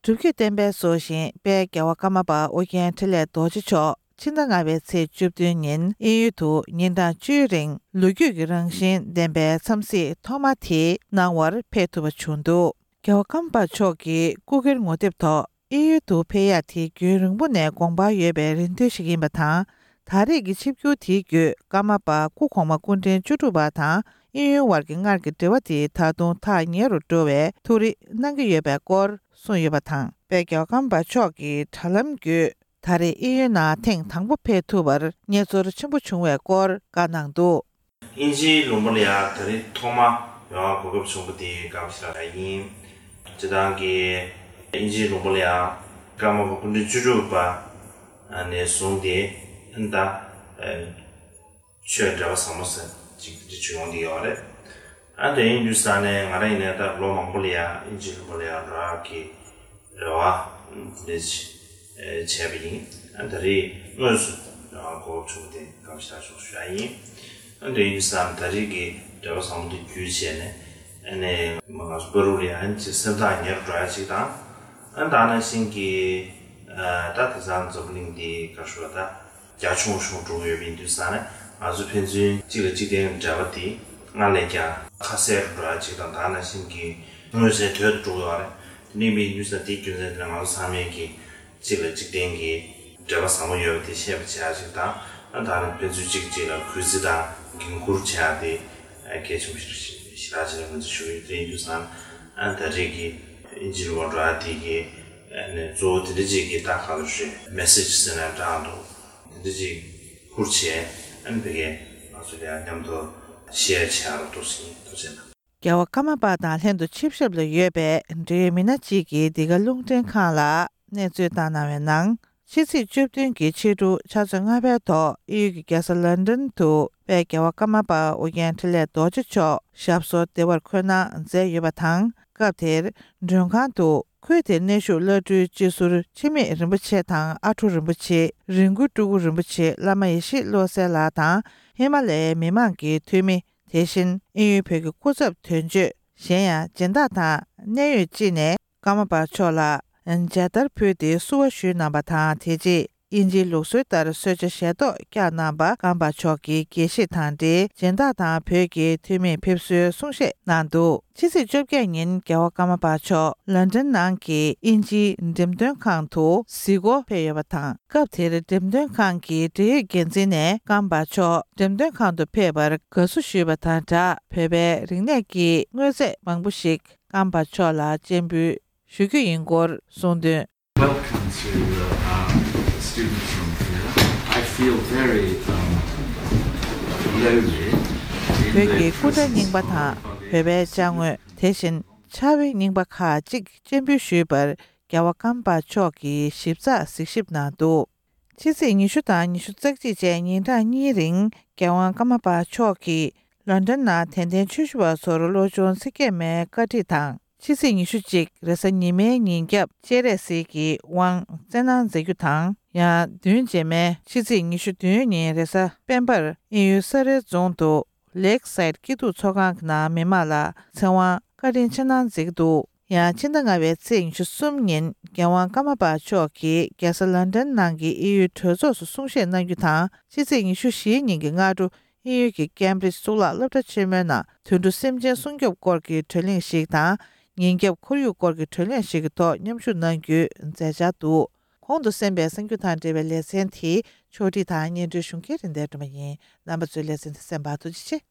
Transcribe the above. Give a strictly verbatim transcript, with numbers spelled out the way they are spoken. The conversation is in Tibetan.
སྒྲུབ་བརྒྱུད་བསྟན་པའི་སྲོག་ཤིང་དཔལ་རྒྱལ་བ་ཀརྨ་པ་ཨོ་རྒྱན་འཕྲིན་ལས་རྡོ་རྗེ་མཆོག་ཕྱི་ཟླ་ལྔ་པའི་ཚེས་བཅུ་བདུན་ཉིན་དབྱིན་ཡུལ་དུ་ཉིན་གྲངས་བཅུའི་རིང་ལོ་རྒྱུས་ཀྱི་རང་བཞིན་ལྡན་པའི་འཚམས་གཟིགས་ཐོག་མ་དེ་གནང་བར་ཕེབས་ཐུབ་པ་བྱུང་འདུག་རྒྱལ་བ་ཀརྨ་པ་མཆོག་གི་སྐུ་སྒེར་ངོ་དེབ་ཐོག་དབྱིན་ཡུལ་དུ་ཕེབས་ཡག་དེ་རྒྱུན་རིང་པོ་ནས་དགོངས་པ་ཡོད་པའི་རེ་འདུན་ཞིག་ཡིན་པ་དང་། ད་རེས་ཀྱི་ཆིབས་བསྒྱུར་དེའི་བརྒྱུད་ཀརྨ་པ་སྐུ་གོང་མ་སྐུ་ཕྲེང་བཅུ་དྲུག་པ་དང་དབྱིན་ཡུལ་བར་གྱི་སྔར་གྱི་འབྲེལ་བ་དེ་ད་དུང་ཐག་ཉེ་རུ་འགྲོ་བའི་ཐུགས་རེ་གནང་གི་ཡོད་པའི་སྐོར་གསུངས་ཡོད་པ་དང་། དཔལ་རྒྱལ་བ་ཀརྨ་པ་མཆོག་གི་དྲ་ལམ་བརྒྱུད་ད་རེས་དབྱིན་ཡུལ་ནང་ཐེངས་དང་པོ་ཕེབས་ཐུབ་པར་མཉེས་ཚོར་ཆེན་པོ་བྱུང་བའི་སྐོར་བཀའ་གནང་འདུག་དབྱིན་ཇིའི་ལུང་པ་ལ་ཡང་ད་རེས་ཐོག་མ་ཡོང་བར་གོ་སྐབས་བྱུང་བ་དེ་དགའ་པོ་ཞེ་དྲག་ཡིན། སྤྱིར་བཏང་གི་དབྱིན་ཇིའི་ལུང་པ་ལ་ཡང་ཀརྨ་པ་སྐུ་ཕྲེང་བཅུ་དྲུག་པ་ནས་བཟུང་སྟེ་ཨ་ནི་ད་ཆོས་འབྲེལ་བ་བཟང་པོ་ཟེར་ཅིག་འདི་བྱུང་ཡོང་བསྡད་ཡོད་རེད། ཨ་དེ་ཡིན་དུས་ས་ནས་ང་རང་ཡིན་ནའི་ད་ལོ་མང་པོ་ལ་ཡང་དབྱིན་ཇིའི་ལུང་པ་ལ་ཡང་འགྲོ་ཡག་གི་རེ་བ་འདི་འདྲ་བྱས་པ་ཡིན། ཨ་ད་རེས་དངོས་སུ་གོ་སྐབས་བྱུང་སྟེ་དགའ་པོ་ཞེ་དྲག་བྱུང་ཞུ་ཡག་ཡིན། ཨ་དེ་ཡིན་དུས་ས་ནས་ད་རེས་ཀྱི་འབྲེལ་བ་བཟང་པོ་འདི་བརྒྱུད་བྱས་ནས་ཨ་ནས་ང་ཚོ་བར་དུ་ལ་ཡང་ཅིག་སེམས་ཐག་ཉེ་རུ་འགྲོ་ཡག་ཅིག་དང་། ཨ་ད་ནང་བཞིན་གྱི་ད་དེང་སང་འཛམ་བུ་གླིང་འདི་ག་རེ་ཞུ་བ་ད། རྒྱ་ཆུང་ཆུང་འགྲོ་གི་ཡོད་པ་ཡིན་དུས་ཙང་ནས་ང་ཚོ་ཕན་ཚུན་གཅིག་ལ་གཅིག་བརྟེན་འབྲེལ་བ་དེ་སྔར་ལས་ཀྱང་ཁ་གསལ་རུ་འགྲོ་ཡག་ཅིག་དང་། ད་ནང་བཞིན་གྱི་མངོན་གསལ་དོད་དུ་འགྲོ་གི་ཡོད་རེད། དེ་འདྲ་ཡིན་པ་ཡིན་དུས་ཙང་དེའི་རྒྱུ་མཚན་དེ་ལ་ང་ཚོ་ཚང་མས་ཀྱི་གཅིག་ལ་གཅིག་བརྟེན་གྱི་འབྲེལ་བ་བཟང་པོ་ཡོད་པ་དེ་ཤེས་པ་བྱེད་ཡག་ཅིག་དང་། ཨ་ད་ནི་ཕན་ཚུན་གཅིག་གཅིག་ལ་གུས་བརྩི་དང་འགན་འཁུར་བྱེད་ཡག་དེ་གལ་ཆེན་པོ་ཞིག་རེད་ཞེ་དྲག་ཅིག་ལ་ངོས་འཛིན་ཞུ་གི་ཡོད། དེ་ཡིན་དུས་ཙང་ཨ་ད་རེས་ཀྱི་དབྱིན་ཇི་ལུང་པ་འགྲོ་ཡག་དེ་གི་ཨ་ནི་གཙོ་བོ་དེ་འདྲ་ཅིག་གི་ད་ག་ལ་རེད་མེ་སེ་ཇི་ཟེར་ན་འདྲ་འདུག་དེ་འདྲ་ཅིག་ཁུར་བྱས་ཨ་ནི་ཕ་གིར་ང་ཚོ་ལ་ཡང་མཉམ་དུ་ཤེར་བྱེད་རོགས་འདུག་ཟེར་ཐུགས་རྗེ་གནང་། རྒྱལ་བ་ཀརྨ་པ་དང་ལྷན་དུ་ཆིབས་ཞབས་ལ་ཡོད་པའི་འབྲེལ་ཡོད་མི་སྣ་གཅིག་གིས་འདི་ག་རླུང་འཕྲིན་ཁང་ལ་གནས་ཚུལ་བཏང་གནང་བའི་ནང་། ཕྱི་ཚེས་བཅུ་བདུན་གྱི་ཕྱི་དྲོ་ཆུ་ཚོད་ལྔ་པའི་ཐོག་དབྱིན་ཡུལ་གྱི་རྒྱལ་ས་ལན་ཀྲན་དུ་དཔལ་རྒྱལ་བ་ཀརྨ་པ་ཨོ་རྒྱན་འཕྲིན་ལས་རྡོ་རྗེ་མཆོག་ཞབས་སོར་བདེ་བར་འཁོད་གནང་མཛད་ཡོད་པ་དང་། སྐབས་དེར་མགྲོན་ཁང་དུ་ཁུལ་དེར་གནས་བཞུགས་བླ་སྤྲུལ་སྤྱི་ཟུར་འཆི་མེད་རིན་པོ་ཆེ་དང་ཨ་ཁྲུ་རིན་པོ་ཆེ། རི་མགོ་སྤྲུལ་སྐུ་རིན་པོ་ཆེ། བླ་མ་ཡེ་ཤེས་བློ་གསལ་ལགས་དང་། ཧི་མ་ལ་ཡའི་མི་མང་གི་འཐུས་མི། དེ་བཞིན་དབྱིན་ཡུལ་བོད་ཀྱི་སྐུ་ཚབ་དོན་གཅོད། གཞན་ཡང་སྦྱིན་བདག་དང་གནད་ཡོད་སྤྱི་ནས་ཀརྨ་པ་མཆོག་ལ་མཇལ་དར་ཕུལ་ཏེ་བསུ་བ་ཞུས་གནང་བ་དང་། དེ་རྗེས་དབྱིན་ཇིའི་ལུགས་སྲོལ་ལྟར་གསོལ་ཇ་ཞལ་ཏོག་བཀྱག་གནང་བ། ཀརྨ་པ་མཆོག་གི་དགེ་བཤེས་དང་འབྲེལ་སྦྱིན་བདག་དང་བོད་ཀྱི་འཐུས་མིས་ཕེབས་བསུའི་གསུང་བཤད་གནང་འདུག་ཕྱི་ཚེས་བཅོ་བརྒྱད་ཉིན་རྒྱལ་བ་ཀརྨ་པ་མཆོག་ལན་ཀྲན་ནང་གི་དབྱིན་ཇིའི་འགྲེམས་སྟོན་ཁང་དུ་གཟིགས་སྐོར་ཕེབས་ཡོད་པ་དང་། སྐབས་དེར་འགྲེམས་སྟོན་ཁང་གི་འབྲེལ་ཡོད་འགན་འཛིན་ནས་ཀརྨ་པ་མཆོག་འགྲེམས་སྟོན་ཁང་དུ་ཕེབས་པར་དགའ་བསུ་ཞུས་པ་དང་སྦྲགས། བོད་པའི་རིག་གནས་ཀྱི་དངོས་རྫས་མང་པོ་ཞིག་ཀརྨ་པ་མཆོག་ལ་སྤྱན་འབུལ་ཞུ་རྒྱུ་ཡིན་སྐོར་གསུངས་དོན། Welcome to uh, our students from here. I feel very um, lowly. In བོད་the ཀྱི་སྐུ་འདྲ་presence རྙིང་པ་དང་བོད་པའི་ཅ་དངོས། དེ་བཞིན་ཕྱར་བའི་རྙིང་པ་ཁག་ཅིག་སྤྱན་འབུལ་ཞུས་པར་རྒྱལ་བ་ཀརྨ་པ་མཆོག་གིས་ཞིབ་ཚགས་གཟིགས་ཞིབ་གནང་འདུག་ཕྱི་ཚེས་ཉི་ཤུ་དང་ཉི་ཤུ་རྩ་གཅིག་བཅས་ཉིན་གྲངས་གཉིས་རིང་རྒྱལ་དབང་ཀརྨ་པ་མཆོག་གིས་ལོན་ཌོན་ནང་དད་ལྡན་ཆོས་ཞུ་བ་ཚོར་བློ་སྦྱོང་ཚིག་བརྒྱད་མའི་བཀའ་ཁྲིད་དང་། ཕྱི་ཚེས་ཉི་ཤུ་གཅིག་རེས་གཟའ་ཉི་མའི་ཉིན་རྒྱབ་སྤྱན་རས་གཟིགས་ཀྱི་དབང་བསྩལ་གནང་མཛད་རྒྱུ་དང་། ཡང་བདུན་རྗེས་མའི་ཕྱི་ཚེས་ཉི་ཤུ་བདུན་ཉིན་རེས་གཟའ་སྤེན་པར་དབྱིན་ཡུལ་ས་རཱའི་རྫོང་དུ་ལེག་སའིད་སྐྱིད་སྡུག་ཚོགས་ཁང་གི་ནང་མི་མང་ལ་ཚེ་དབང་བཀའ་དྲིན་ཆེ་གནང་མཛད་ཀྱི་འདུག་ཡང་ཕྱི་ཟླ་ལྔ་པའི་ཚེས་ཉི་ཤུ་གསུམ་ཉིན་རྒྱལ་དབང་ཀརྨ་པ་མཆོག་གིས་རྒྱལ་ས་ལོན་ཌོན་ནང་གི་དབྱིན་ཡུལ་གྲོས་ཚོགས་སུ་གསུང་བཤད་གནང་རྒྱུ་དང་། ཕྱི་ཚེས་ཉི་ཤུ་བཞི་ཉིན་གྱི་སྔ་དྲོ་དབྱིན་ཡུལ་གྱི་ཀེམ་བྷྲིཇ་གཙུག་ལག་སློབ་གྲྭ་ཆེན་མོའི་ནང་དུད་འགྲོ་སེམས་ཅན་སྲུང་སྐྱོབ་སྐོར་གྱི་གྲོས་གླེང་ཞིག་དང་། ཉིན་རྒྱབ་ཁོར་ཡུག་སྐོར་གྱི་གྲོས་གླེང་ཞིག་གི་ཐོག་མཉམ་ཞུགས་གནང་རྒྱུའི་མཛད་འཆར་འདུག་གོང་དུ་གསན་པའི་གསར་འགྱུར་དང་འབྲེལ་བའི་ལེ་ཚན་དེ་ཕྱོགས་སྒྲིག་དང་སྙན་སྒྲོན་ཞུ་མཁན་རིན་ལྡན་སྒྲོལ་མ་ཡིན། རྣམ་པ་ཚོས་ལེ་ཚན་དེ་གསན་པར་ཐུགས་རྗེ་ཆེ།